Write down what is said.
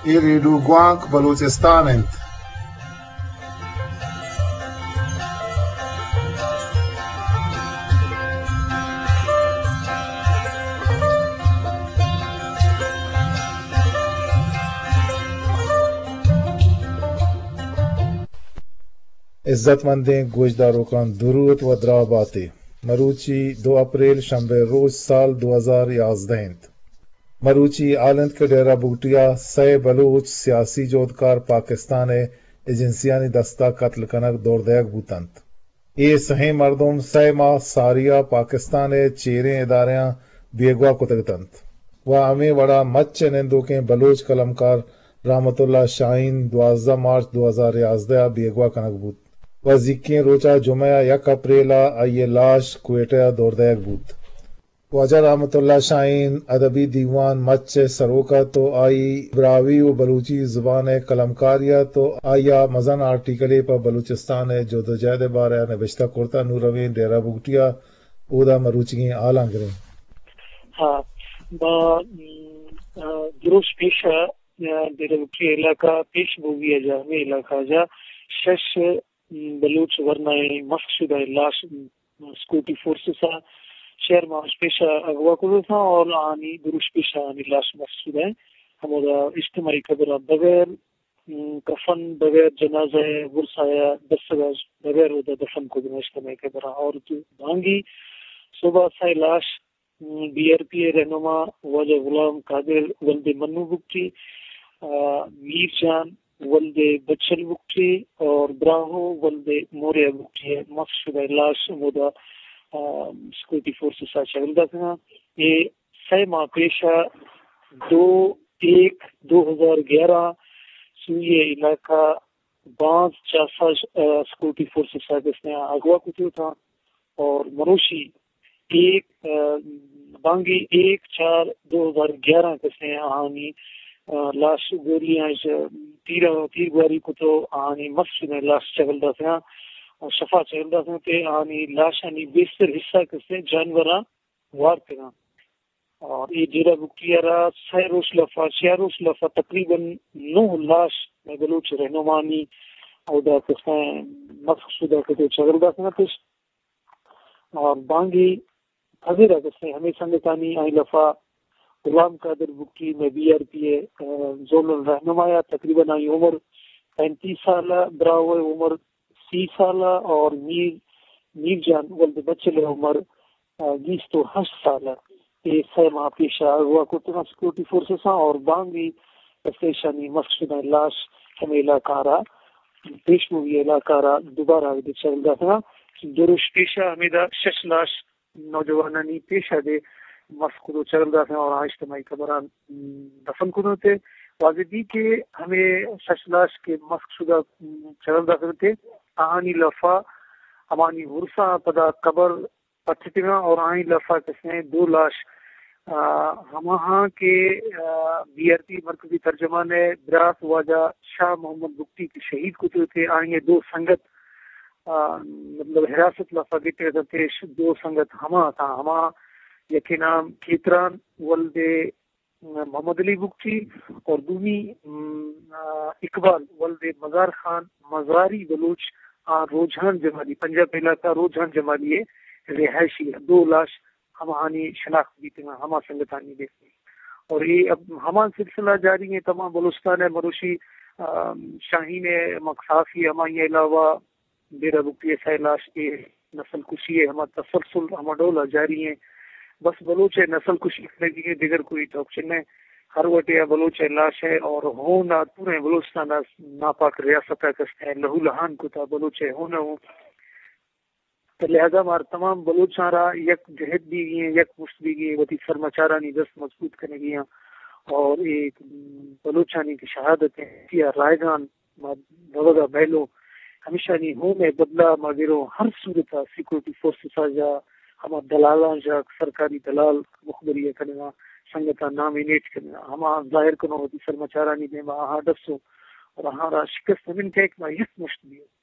اے ریڈیو گوانک بلوچستان انت۔ عزت مندیں گوشداروکاں درود و دراہ باتے۔ مروچی دو اپریل شنبے روچ سال دو ہزار یازدہ انت۔ مروچی حال انت کہ ڈیرہ بگٹی ءَ سئے بلوچ سیاسی جہدکار پاکستان ءِ ایجنسیانی دست ءَ قتل کنگ دور دئیگ بوت انت۔ اے سئیں مردم سئے ماہ ساری ءَ پاکستان ءِ چیریں ادارہاں بیگواہ کتگ اتنت و ہمے وڑا مچ ءِ نندوکیں بلوچ قلمکار رحمت اللہ شاہین دوازدہ مارچ دو ہزار یازدہ ءَ بیگواہ کنگ بوت و زیکیں روچ ءَ جمعہ ءَ یک اپریل ءَ آئی ءِ لاش کوئٹہ ءَ دور دئیگ بوت۔ واجہ رحمت اللہ شاہین ادبی دیوان مچ ءِ سروک ات و آئی براہوئی و بلوچی زبان ءِ قلمکارے ات و آئی ءَ مزن آرٹیکلے پہ بلوچستان ءِ جدوجہد ءِ بارہ ءَ نبشتہ کرت ءُ نوں رویں ڈیرہ بگٹی ءَ اودا مروچیگیں حالاں گریں۔ ہاں، ما، م، آ، دروش پیش ءَ، آ، ڈیرہ بگٹی علاقہ پیش بوگی ءَ جا، ہمے علاقہ جا شش، م، بلوچ ورنائیں مسخ شدہ لاش، م، سیکورٹی فورسز ءَ شہر ماش پیش ءَ اغوا کتگ اتاں اور آنی دروش پیش ءَ آنی لاش مسخ شدہ ہیں۔ ہمودا اجتماعی قبر ءَ بغیر، م، کفن، بغیر جنازہ ءِ ورثہ ءَ دستگ ءَ بغیر اودا دفن کتگ اتاں اجتماعی قبر ءَ۔ اور تو بانگی صبح سئے لاش، م، بی آر پی ءِ رہنما واجہ غلام قادر ولد منو بگٹی، آ، میر جان ولد بچل بگٹی اور براہو ولد موریا بگٹی ءِ مسخ شدہ لاش ہمودا، آ، سیکورٹی فورسز ءَ چگل داتگ اتاں۔ اے سئے ماہ پیش ءَ دو ایک دو ہزار گیارہ سوئی علاقہ بانز چاسا، آ، سیکورٹی فورسز ءَ کسے ءَ اغوا کتگ اتاں اور مروشی ایک، آ، بانگی ایک چار دو ہزار گیارہ کسے ءَ آہانی، آ، لاش گولیاں اش تیر، تیر گواری کتو آہانی مسخ شدہ لاش چگل داتگ اتاں اور شفا چگل داتگ اتاں کہ آہانی لاشانی بیشتر حصہ کسے جانوراں وارتگ اتاں۔ اور اے ڈیرہ بگٹی ءَ را سئے روچ لفا، چار روچ لفا تقریباً نو لاش مئے بلوچ رہنمانی اودا کسے مسخ شدہ کتو چگل داتگ اتش۔ اور بانگی پذیرا کسے ہمے سنگتانی آئی لفا غلام قادر بگٹی مئے بی آر پی ءِ، آ، زونل رہنما ءَ تقریباً آئی عمر پینتیس سال ءَ، براہو ءِ عمر سی سال ءَ اور میر، میر جان ولد بچل ءِ عمر، آ، بیست و ہشت سال ءَ۔ اے سئے ماہ پیش ءَ اغوا کرتگ اتاں سیکورٹی فورسز ءَ اور بانگی کسے اشانی مسخ شدہ لاش ہمے علاقہ ءَ را، پیش بوگی علاقہ ءَ را دوبارہ اود چگل داتگ اتاں۔ دو روچ پیش ءَ ہمیدا شش لاش نوجوانانی پیش ءَ دے مسخ کتو چگل داتگ اتاں اور آ اجتماعی قبراں دفن کتو تے۔ واضح بی کہ ہمے شش لاش کہ مسخ شدہ چگل داتگ تے، آہانی لفا ہمانی ورثاں پدا قبر پٹتگاں اور آہانی لفا کسے دو لاش، آ، ہماہاں کہ، آ، بی آر پی مرکزی ترجمان ءِ برات واجہ شاہ محمد بگٹی کہ شہید کتو تے، آہانی دو سنگت، آ، مطلب حراست لفا گٹے اتنت، دو سنگت ہما اتاں، ہما یکے نام کھیتران ولد محمد علی بگٹی اور دومی، م، آ، اقبال ولد مزار خان مزاری بلوچ، آ، روجھان جمالی، پنجاب علاقہ روجھان جمالی ءِ رہائشی ءَ۔ دو لاش ہماہانی شناخت بیتگ ءُ ہما سنگتانی بیتگ۔ اور اے اب ہما سلسلہ جاری ہیں، تمام بلوچستان ءَ مروشی، آ، شاہین ءِ مکسافی، ہمائی علاوہ ڈیرہ بگٹی ءِ سئے لاش، اے نسل کشی ءِ ہما تسلسل ہما ڈول ءَ جاری ہیں۔ بس بلوچ ءِ نسل کشی کنگی ہیں، دگر کوئی ٹوکچن نہ۔ ہر وٹے ءَ بلوچ ءِ لاش ءِ اور ہون ءَ پوریں بلوچستان ءَ ناپاک ریاست ءَ کس ءَ لہو لہان کتا بلوچ ءِ ہون ءَ ہوں۔ تو لہذا مار تمام بلوچاں را یک جہد بیگی ہیں، یک مشت بیگی ہیں، وتی سرمچارانی دست مضبوط کنگی ہیں اور اے بلوچانی کہ شہادت ہیں، یا رائگان ما روگ ءَ مئیلوں، ہمیشانی ہون ءِ بدلہ ما گروں۔ ہر صورت ءَ سیکورٹی فورسز ءَ جا ہما دلالاں جا، سرکاری دلال مخبری ءَ کنگا، سنگتاں نامینیٹ کنگا، ہما ظاہر کنوں وتی سرمچارانی دیما، آہاں ڈسوں اور آہاں را شکست ہمیں کہک ما یک مشت بیوں۔